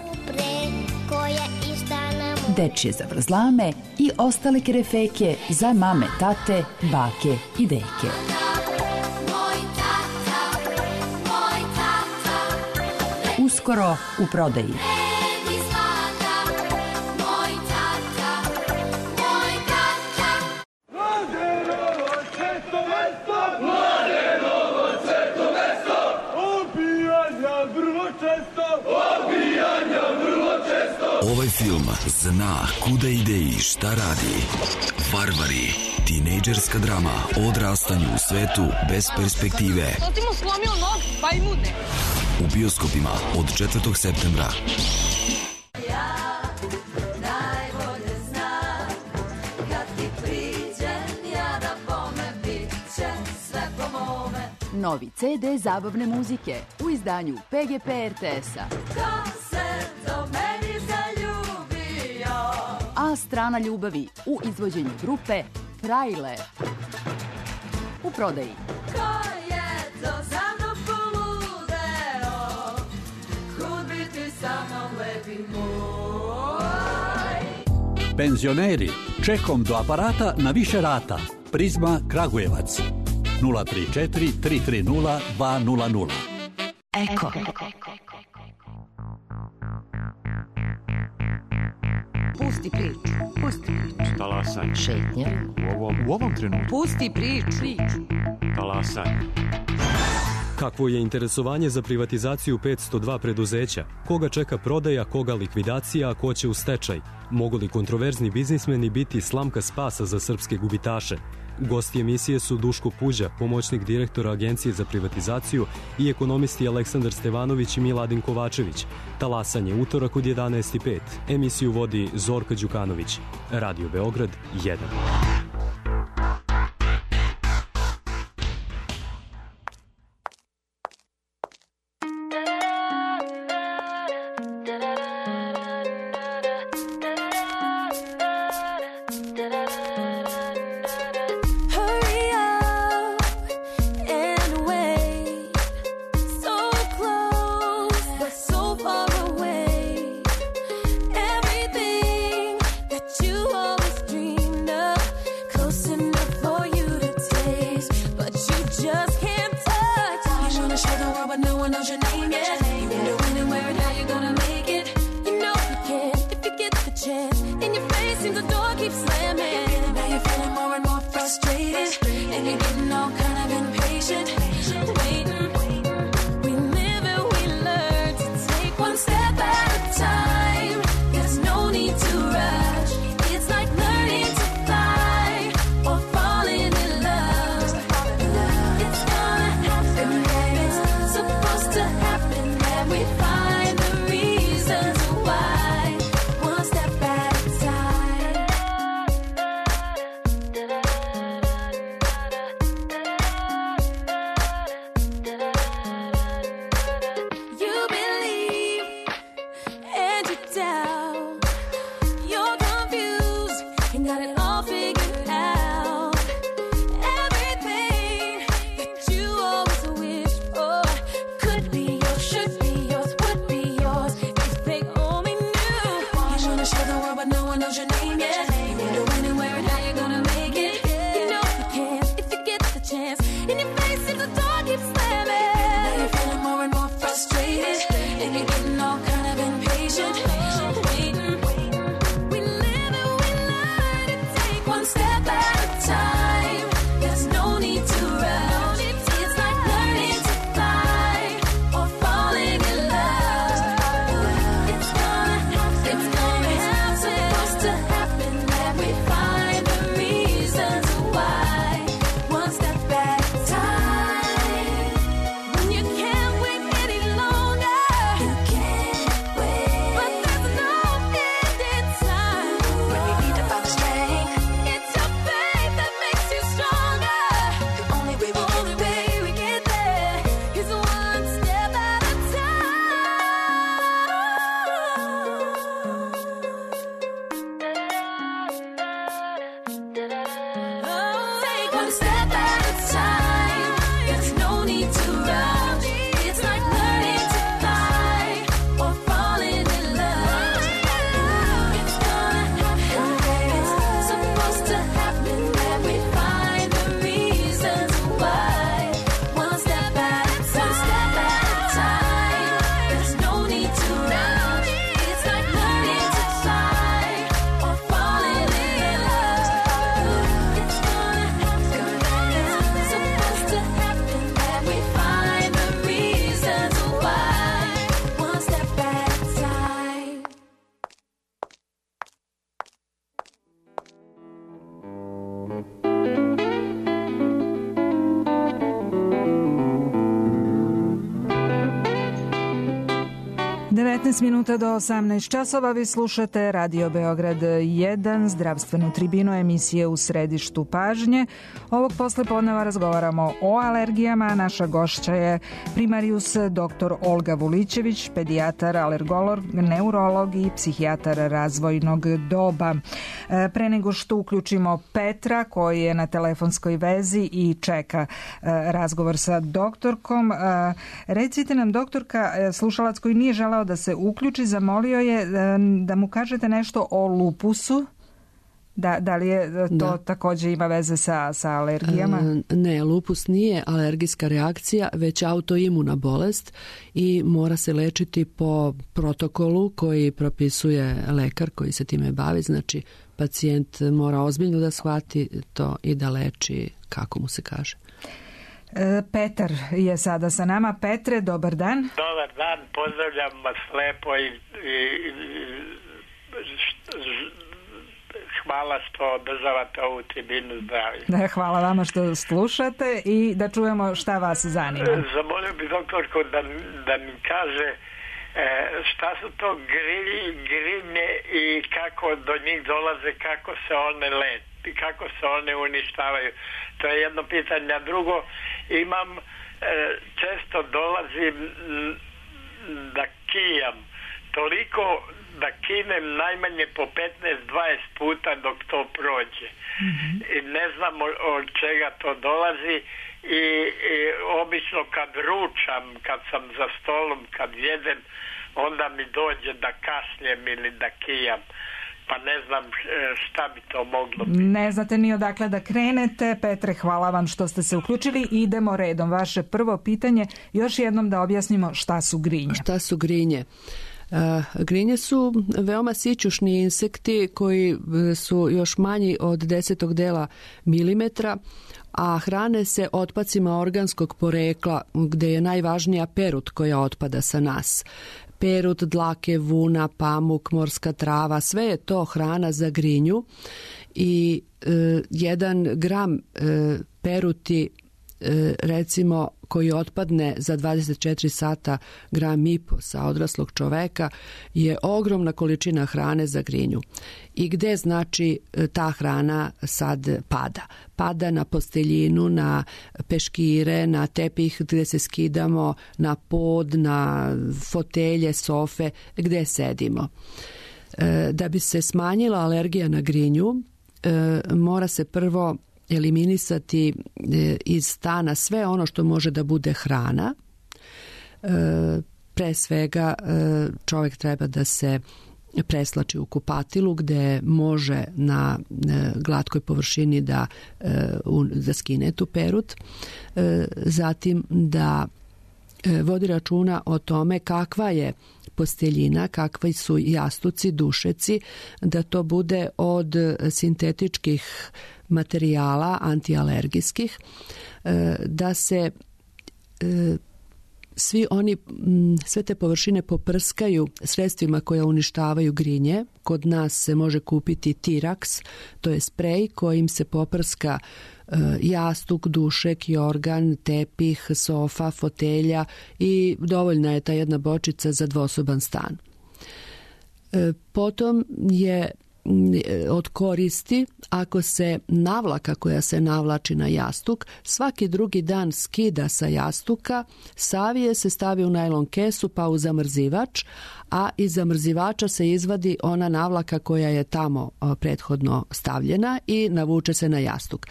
Dečije zavrzlame i ostale kerefeke za mame, tate, bake i deke. Uskoro u prodaji. Ovaj film zna kuda ide i šta radi. Varvari, tinejdžerska drama o odrastanju u svetu bez perspektive. To ti mu slomio nog, bajmude. U bioskopima od četvrtog septembra. Ja najbolje znam, kad ti priđem, ja da bome bit će sve po mome. Novi ce de zabavne muzike u izdanju pe ge pe er te es-a. Ko se do meni zaljubio? A strana ljubavi u izvođenju grupe Frajle. U prodaji. Ko je to za mnom poludeo? Kud bi ti sa mnom lepi moj? Penzioneri, čekom do aparata na više rata. Prizma Kragujevac. nula tri četiri tri tri nula dva nula nula. Eko. Pusti priču. Pusti priču. Talasanje. Šetnja. U ovom, u ovom trenutku. Pusti priču. Talasanje. Kakvo je interesovanje za privatizaciju petsto dva preduzeća? Koga čeka prodaja, koga likvidacija, a ko će u stečaj? Mogu li kontroverzni biznismeni biti slamka spasa za srpske gubitaše? Gosti emisije su Duško Puđa, pomoćnik direktora Agencije za privatizaciju, i ekonomisti Aleksandar Stevanović i Miladin Kovačević. Talasanje utorak od jedanaest i pet. Emisiju vodi Zorka Đukanović. Radio Beograd jedan. šesnaest minuta do osamnaest časova. Vi slušate Radio Beograd jedan, zdravstvenu tribinu emisije U središtu pažnje. Ovog poslepodneva razgovaramo o alergijama. Naša gošća je primarijus doktor Olga Vulićević, pedijatar, alergolog, neurolog i psihijatar razvojnog doba. Pre nego što uključimo Petra koji je na telefonskoj vezi i čeka razgovor sa doktorkom, recite nam, doktorka, slušalac koji nije želeo da se uključi, zamolio je da mu kažete nešto o lupusu. Da, da li je to da. također ima veze sa, sa alergijama? E, ne, lupus nije alergijska reakcija, već autoimuna bolest i mora se lečiti po protokolu koji propisuje lekar koji se time bavi. Znači, pacijent mora ozbiljno da shvati to i da leči kako mu se kaže. Petar je sada sa nama. Petre, dobar dan. Dobar dan, pozdravljam vas lepo i, i, i hvala što održavate ovu tribinu zdravlja. Hvala vama što slušate i da čujemo šta vas zanima. Zamolio bi doktorku da, da mi kaže e, šta su to grilji, grinje i kako do njih dolaze, kako se one leti, kako se one uništavaju. To je jedno pitanje. A drugo, imam, e, često dolazim da kijam toliko da kinem najmanje po petnaest dvadeset puta dok to prođe. Mm-hmm. I ne znam od čega to dolazi i, i obično kad ručam, kad sam za stolom, kad jedem, onda mi dođe da kašljem ili da kijam. Pa ne znam šta bi to moglo biti. Ne znate ni odakle da krenete. Petre, hvala vam što ste se uključili. Idemo redom. Vaše prvo pitanje, još jednom da objasnimo šta su grinje. Šta su grinje? Uh, grinje su veoma sićušni insekti koji su još manji od desetog dela milimetra, a hrane se otpacima organskog porekla gde je najvažnija perut koja otpada sa nas. Perut, dlake, vuna, pamuk, morska trava, sve je to hrana za grinju i e, jedan gram e, peruti e, recimo koji otpadne za dvadeset četiri sata, gram i po sa odraslog čoveka, je ogromna količina hrane za grinju. I gde znači ta hrana sad pada? Pada na posteljinu, na peškire, na tepih gde se skidamo, na pod, na fotelje, sofe, gde sedimo. Da bi se smanjila alergija na grinju, mora se prvo eliminisati iz stana sve ono što može da bude hrana. Pre svega čovjek treba da se preslači u kupatilu gde može na glatkoj površini da, da skine tu perut. Zatim da vodi računa o tome kakva je posteljina, kakvi su jastuci, dušeci, da to bude od sintetičkih materijala antialergijskih, da se svi oni, sve te površine poprskaju sredstvima koja uništavaju grinje. Kod nas se može kupiti Tirax, to je sprej kojim se poprska jastuk, dušek, jorgan, tepih, sofa, fotelja i dovoljna je ta jedna bočica za dvosoban stan. Potom je od koristi ako se navlaka koja se navlači na jastuk svaki drugi dan skida sa jastuka, savije se, stavi u najlon kesu pa u zamrzivač, a iz zamrzivača se izvadi ona navlaka koja je tamo prethodno stavljena i navuče se na jastuk.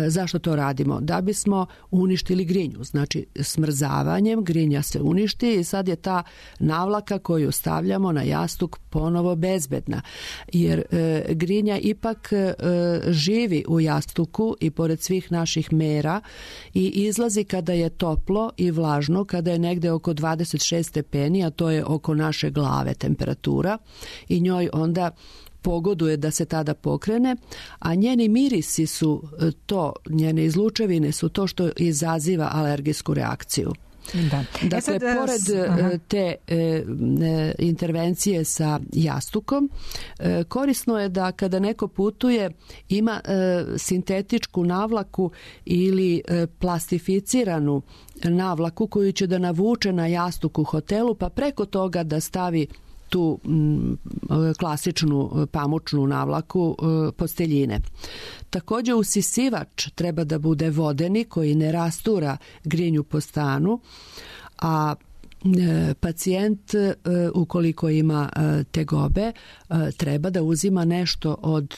Zašto to radimo? Da bismo uništili grinju. Znači smrzavanjem grinja se uništi i sad je ta navlaka koju stavljamo na jastuk ponovo bezbedna. Jer e, grinja ipak e, živi u jastuku i pored svih naših mera i izlazi kada je toplo i vlažno, kada je negde oko dvadeset šest stepeni, a to je oko naše glave temperatura, i njoj onda pogoduje da se tada pokrene, a njeni mirisi su to, njene izlučevine su to što izaziva alergijsku reakciju. Da. Dakle, sad, pored aha. te e, intervencije sa jastukom, e, korisno je da kada neko putuje ima e, sintetičku navlaku ili e, plastificiranu navlaku koju će da navuče na jastuk u hotelu, pa preko toga da stavi tu klasičnu pamučnu navlaku posteljine. Također usisivač treba da bude vodeni koji ne rastura grinju po stanu, a pacijent ukoliko ima tegobe treba da uzima nešto od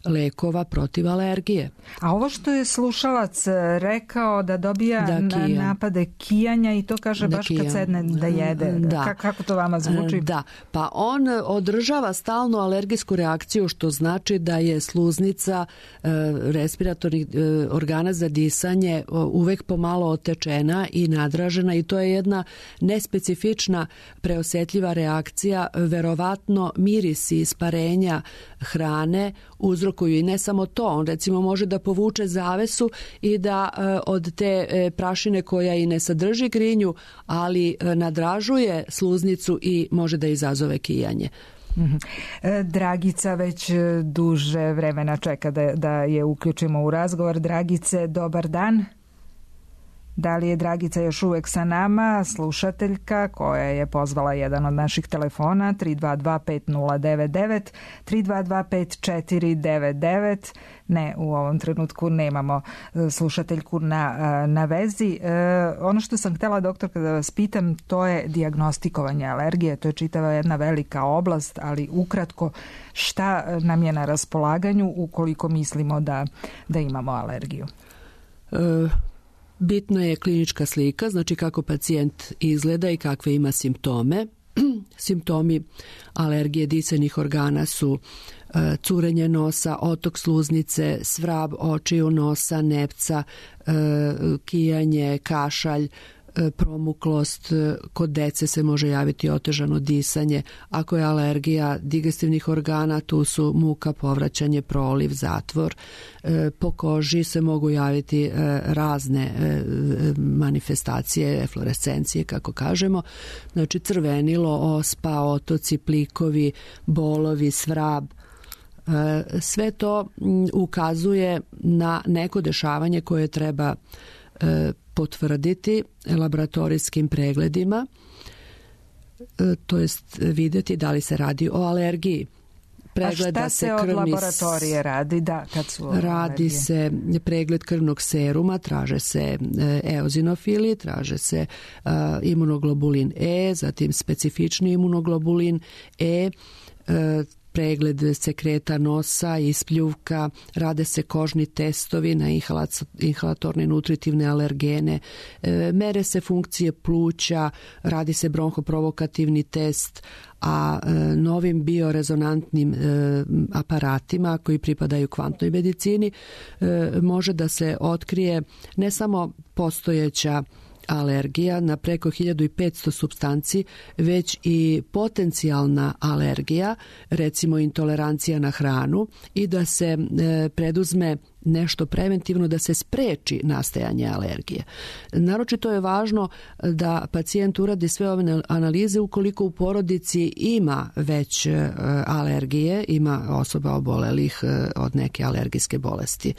lekova protiv alergije. A ovo što je slušalac rekao da dobija da, na, napade kijanja i to kaže da baš kijan. Kad sedne da jede. Da. Ka, kako to vama zvuči? Da, pa on održava stalnu alergijsku reakciju, što znači da je sluznica e, respiratornih e, organa za disanje uvek pomalo otečena i nadražena i to je jedna nespecifična preosetljiva reakcija. Verovatno mirisi isparenja hrane uzrokuju i ne samo to, on recimo može da povuče zavesu i da e, od te e, prašine koja i ne sadrži grinju, ali e, nadražuje sluznicu i može da izazove kijanje. Mm-hmm. E, Dragica već duže vremena čeka da, da je uključimo u razgovor. Dragice, dobar dan. Da li je Dragica još uvek sa nama, slušateljka koja je pozvala jedan od naših telefona tri dva dva pet nula devet devet, tri dva dva pet četiri devet devet. Ne, u ovom trenutku nemamo slušateljku na, na vezi. E, ono što sam htjela, doktorka, da vas pitam, to je dijagnostikovanje alergije. To je čitava jedna velika oblast, ali ukratko šta nam je na raspolaganju ukoliko mislimo da, da imamo alergiju? E... Bitna je klinička slika, znači kako pacijent izgleda i kakve ima simptome. Simptomi alergije disajnih organa su e, curenje nosa, otok sluznice, svrab očiju, nosa, nepca, e, kijanje, kašalj, promuklost, kod dece se može javiti otežano disanje. Ako je alergija digestivnih organa, tu su muka, povraćanje, proliv, zatvor. Po koži se mogu javiti razne manifestacije, eflorescencije, kako kažemo. Znači crvenilo, ospa, otoci, plikovi, bolovi, svrab. Sve to ukazuje na neko dešavanje koje treba potvrditi laboratorijskim pregledima, to jest vidjeti da li se radi o alergiji. Pregleda A šta se, se od laboratorije radi? Da, kad su radi alergije? Se pregled krvnog seruma, traže se eozinofili, traže se uh, imunoglobulin E, zatim specifični imunoglobulin E, uh, pregled sekreta nosa, ispljuvka, rade se kožni testovi na inhalatorne nutritivne alergene, mere se funkcije pluća, radi se bronhoprovokativni test, a novim biorezonantnim aparatima koji pripadaju kvantnoj medicini može da se otkrije ne samo postojeća alergija na preko hiljadu petsto supstanci, već i potencijalna alergija, recimo intolerancija na hranu, i da se e, preduzme nešto preventivno da se spreči nastajanje alergije. Naročito je važno da pacijent uradi sve ove analize ukoliko u porodici ima već e, alergije, ima osoba obolelih e, od neke alergijske bolesti.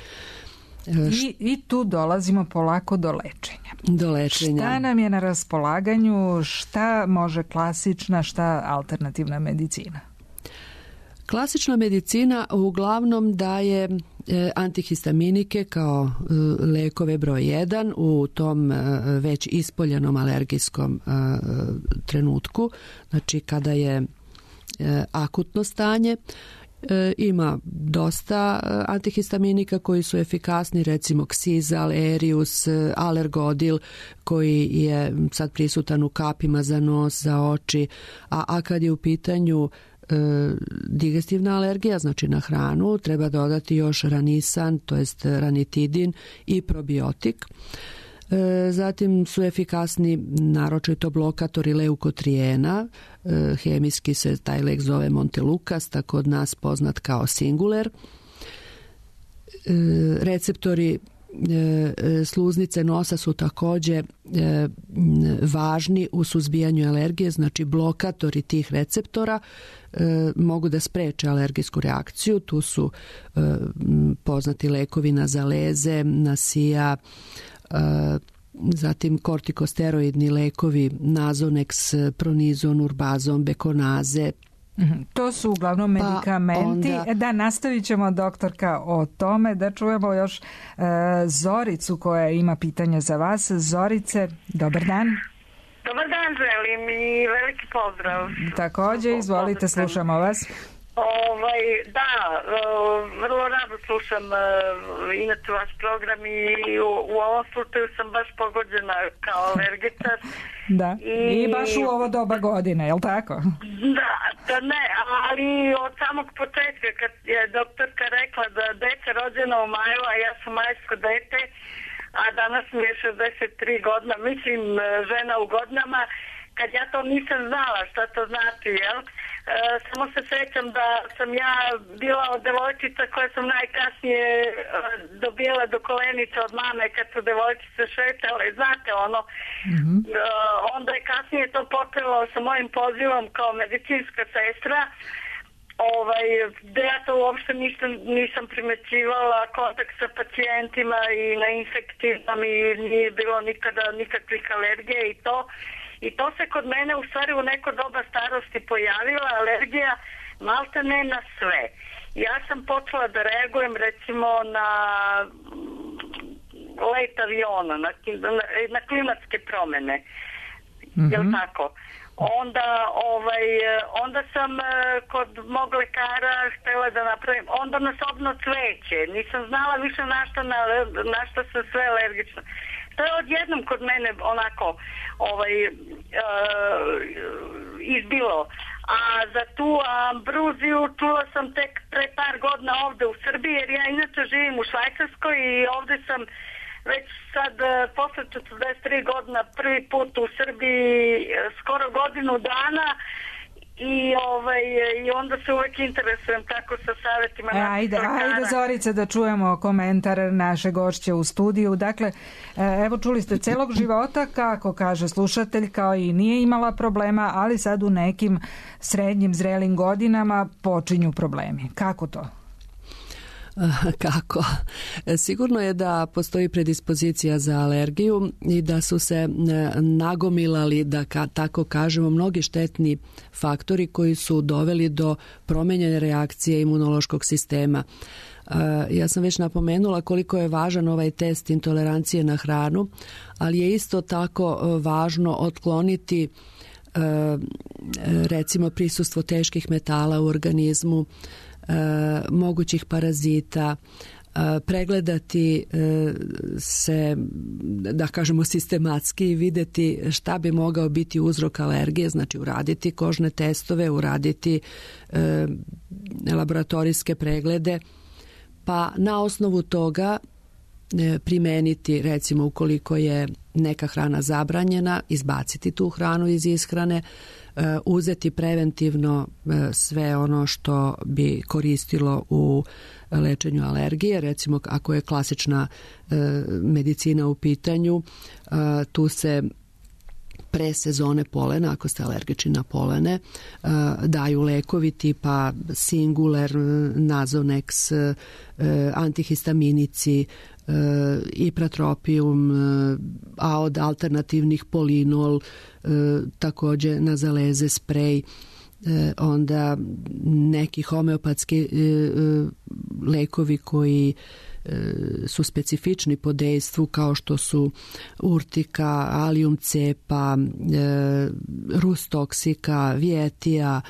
I, I tu dolazimo polako do lečenja. Do lečenja. Šta nam je na raspolaganju, šta može klasična, šta alternativna medicina? Klasična medicina uglavnom daje antihistaminike kao lekove broj jedan u tom već ispoljenom alergijskom trenutku, znači kada je akutno stanje. Ima dosta antihistaminika koji su efikasni, recimo Xizal, Erius, Alergodil koji je sad prisutan u kapima za nos, za oči, a, a kad je u pitanju e, digestivna alergija, znači na hranu, treba dodati još ranisan, to jest ranitidin i probiotik. Zatim su efikasni naročito blokatori leukotrijena, hemijski se taj lek zove Montelukast, a kod nas poznat kao Singuler. Receptori sluznice nosa su također važni u suzbijanju alergije, znači blokatori tih receptora mogu da spreče alergijsku reakciju. Tu su poznati lekovi na zaleze, na sija, zatim kortikosteroidni lekovi Nazonex, Pronizon, Urbazon, Bekonaze, To su uglavnom medikamenti. Pa onda... Da, nastavit ćemo, doktorka, o tome, da čujemo još e, Zoricu koja ima pitanja za vas. Zorice, dobar dan. Dobar dan želim i veliki pozdrav. Također, izvolite, slušamo vas. Ovaj, da, vrlo rado slušam inače vaš program i u, u ovom slučaju sam baš pogođena kao alergičar. Da, i, i baš u ovo doba godine, je li tako? Da, da ne, ali od samog početka kad je doktorka rekla da dete rođeno u maju, a ja sam majsko dete, a danas mi je šezdeset tri godina, mislim žena u godinama, kad ja to nisam znala šta to znači, jel? E, samo se sjećam da sam ja bila od devojčica koje sam najkasnije e, dobijala do kolenice od mame kad su devojčice šetale, znate ono. Mm-hmm. E, onda je kasnije to počelo sa mojim pozivom kao medicinska sestra, ovaj, da ja to uopšte nisam, nisam primećivala, kontakt sa pacijentima i na infektivnom i nije bilo nikada nikakvih alergije i to. I to se kod mene u stvari u neko doba starosti pojavila, alergija malte ne na sve. Ja sam počela da reagujem recimo na let aviona, na, na, na klimatske promjene. Mm-hmm. Jel tako? Onda, ovaj, onda sam kod mog lekara htjela da napravim, onda na sobno cveće. Nisam znala više na što, na, na što sam sve alergična. To je odjednom kod mene onako ovaj, uh, izbilo. A za tu ambruziju čula sam tek pre par godina ovde u Srbiji, jer ja inače živim u Švajcarskoj i ovde sam već sad posle četrdeset tri godina prvi put u Srbiji skoro godinu dana. I, ovaj, i onda se uvek interesujem tako sa savjetima. E, ajde, ajde Zorice da čujemo komentar naše gošće u studiju. Dakle, evo čuli ste celog života, kako kaže slušatelj, kao i nije imala problema, ali sad u nekim srednjim zrelim godinama počinju problemi. Kako to? Kako? Sigurno je da postoji predispozicija za alergiju i da su se nagomilali, da ka, tako kažemo, mnogi štetni faktori koji su doveli do promenjene reakcije imunološkog sistema. Ja sam već napomenula koliko je važan ovaj test intolerancije na hranu, ali je isto tako važno otkloniti recimo prisustvo teških metala u organizmu, E, mogućih parazita, e, pregledati e, se, da kažemo, sistematski i vidjeti šta bi mogao biti uzrok alergije, znači uraditi kožne testove, uraditi e, laboratorijske preglede, pa na osnovu toga e, primeniti, recimo ukoliko je neka hrana zabranjena, izbaciti tu hranu iz ishrane, uzeti preventivno sve ono što bi koristilo u lečenju alergije. Recimo, ako je klasična medicina u pitanju, tu se pre sezone polena, ako ste alergični na polene, daju lekovi tipa Singuler, Nazonex, antihistaminici, Ipratropium, a od alternativnih Polinol, također nazaleze, sprej, onda neki homeopatski lekovi koji su specifični po dejstvu, kao što su urtika, alium cepa, rustoksika, vijetija.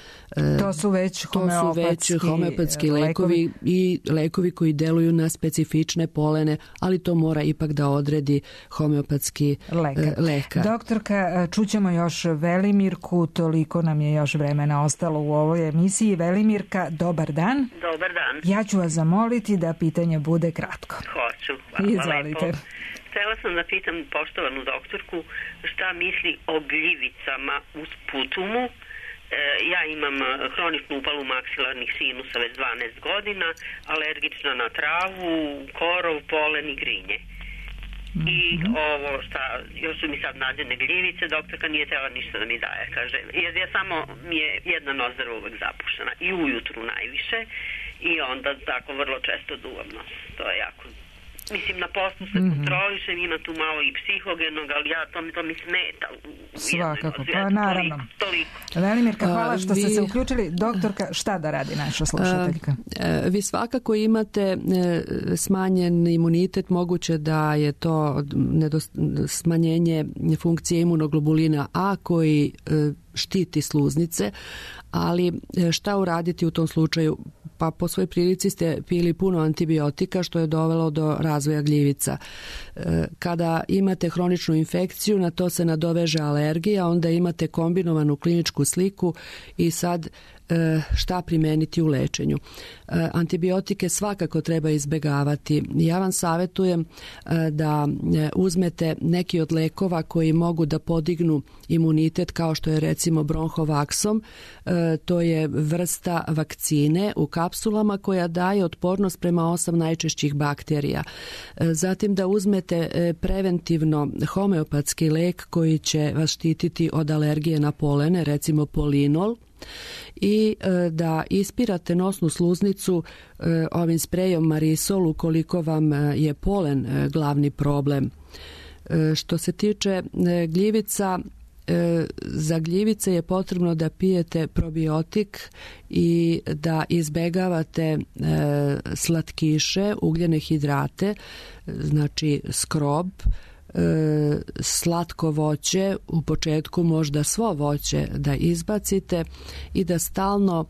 To su već homeopatski, to su već homeopatski lekovi, lekovi i lekovi koji deluju na specifične polene, ali to mora ipak da odredi homeopatski lekar. lekar. Doktorka, čućemo još Velimirku, toliko nam je još vremena ostalo u ovoj emisiji. Velimirka, dobar dan. Dobar dan. Ja ću vas zamoliti da pitanje bude kratko. Hoću, hvala Izvolite. lepo. Htjela sam da pitam poštovanu doktorku šta misli o gljivicama uz putumu. E, ja imam hroničnu upalu maksilarnih sinusa već dvanaest godina, alergična na travu, korov, polen i grinje. I ovo šta, još su mi sad nađene gljivice, doktorka nije tela ništa da mi daje, kaže, jer ja samo mi je jedna nozdra uvek zapušena i ujutru najviše i onda tako vrlo često duvam nos, to je jako Mislim, na poslu se Mhm. kontrolišem, ima tu malo i psihogenog, ali ja, to mi, to mi smeta. u- u Svakako, jednoj pa nozi. Eto, naravno. Toliko, toliko. Velimirka, hvala A, što ste vi- se uključili. Doktorka, šta da radi naša slušateljka? E, Vi svakako imate e, smanjen imunitet, moguće da je to nedos- smanjenje funkcije imunoglobulina A koji e, štiti sluznice, ali e, šta uraditi u tom slučaju? Pa po svojoj prilici ste pili puno antibiotika što je dovelo do razvoja gljivica. E, Kada imate hroničnu infekciju, na to se nadoveže alergija, onda imate kombinovanu kliničku sliku i sad e, šta primeniti u lečenju. E, Antibiotike svakako treba izbegavati. Ja vam savjetujem e, da e, uzmete neki od lekova koji mogu da podignu imunitet, kao što je recimo bronhovaksom. E, To je vrsta vakcine u kapsulama koja daje otpornost prema osam najčešćih bakterija. E, Zatim da uzmete e, preventivno homeopatski lek koji će vas štititi od alergije na polene, recimo polinol, i e, da ispirate nosnu sluznicu e, ovim sprejom Marisol ukoliko vam e, je polen e, glavni problem. E, Što se tiče e, gljivica, e, za gljivice je potrebno da pijete probiotik i da izbegavate e, slatkiše, ugljene hidrate, znači skrob, e, slatko voće, u početku možda svo voće da izbacite i da stalno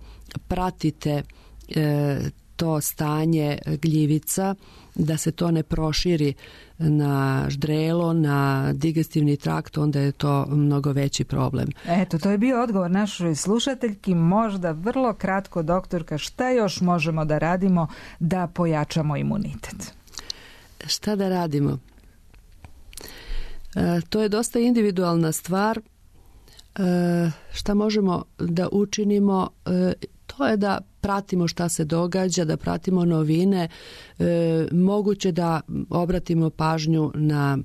pratite e, to stanje gljivica, da se to ne proširi na ždrelo, na digestivni trakt, onda je to mnogo veći problem. Eto, to je bio odgovor našoj slušateljki. Možda vrlo kratko, doktorka, šta još možemo da radimo da pojačamo imunitet? Šta da radimo? E, to je dosta individualna stvar. E, šta možemo da učinimo? E, to je da pratimo šta se događa, da pratimo novine. E, moguće da obratimo pažnju na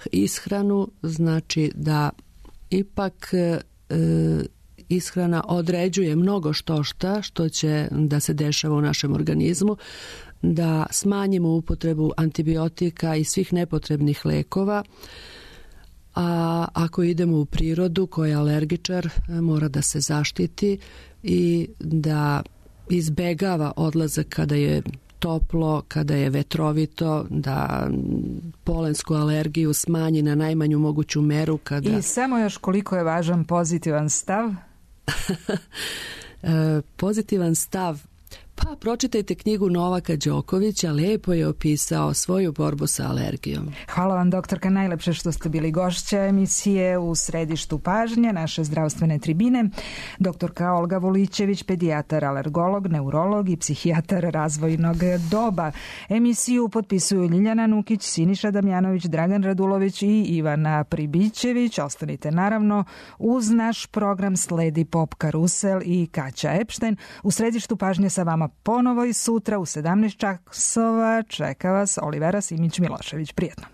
ishranu, znači da ipak e, ishrana određuje mnogo što šta što će da se dešava u našem organizmu, da smanjimo upotrebu antibiotika i svih nepotrebnih lekova, a ako idemo u prirodu koja je alergičar, mora da se zaštiti i da izbegava odlazak kada je toplo, kada je vetrovito, da polensku alergiju smanji na najmanju moguću meru. Kada... I samo još koliko je važan pozitivan stav? E, pozitivan stav. Pa pročitajte knjigu Novaka Đokovića, lepo je opisao svoju borbu sa alergijom. Hvala vam, doktorka, najlepše što ste bili gošća emisije U središtu pažnje naše zdravstvene tribine. Doktorka Olga Volićević, pedijatar, alergolog, neurolog i psihijatar razvojnog doba. Emisiju potpisuju Ljiljana Nukić, Siniša Damjanović, Dragan Radulović i Ivana Pribićević. Ostanite naravno uz naš program, sledi Pop Karusel i Kaća Epštajn. U središtu pažnje sa vama ponovo i sutra u sedamnaest časova čeka vas Olivera Simić Milošević. Prijetno.